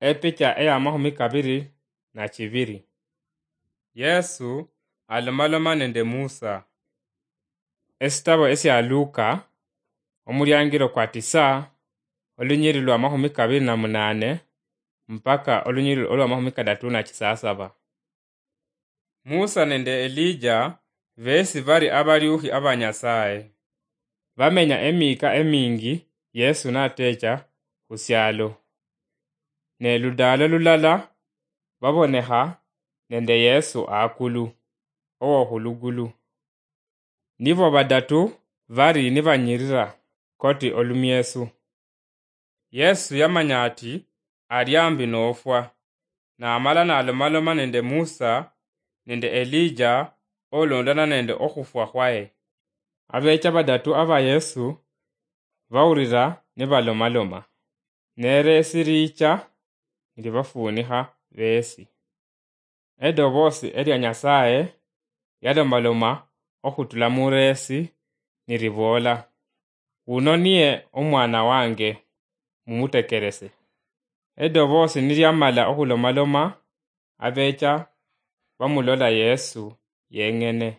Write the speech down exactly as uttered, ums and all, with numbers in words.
Epicha eya mahumi kabiri na chibiri. Yesu alomaloma nende Musa. Esitabo esia Luka, omuliangiro kwa tisa, olunyiri lwa mahumi kabiri na munane, mpaka olunyiri olwa mahumi kadatu na chisasaba. Musa nende Elija besi bari abaliukhi aba Nyasaye. Bamenya emika emingi Yesu natecha khusialo. Ne ludalo lulala babonekha nende Yesu akulu, owokhulugulu. Nibo badatu bari nibanyirira koti olumiesu. Yesu yamanya ati ali ambi nofwa, namala nalomaloma nende Musa nende Elija olondana nende okhufwa khwaye. Abecha badatu aba Yesu bawulira nibalomaloma, neresi licha nilibafunikha besi. Edobosi elia Nyasaye yalomaloma okhutula muresi niliboola, "Wuno niye omwana wange, mumutekerese." Edobosi niliamala okhulomaloma, abecha bamulola Yesu yeng'ene.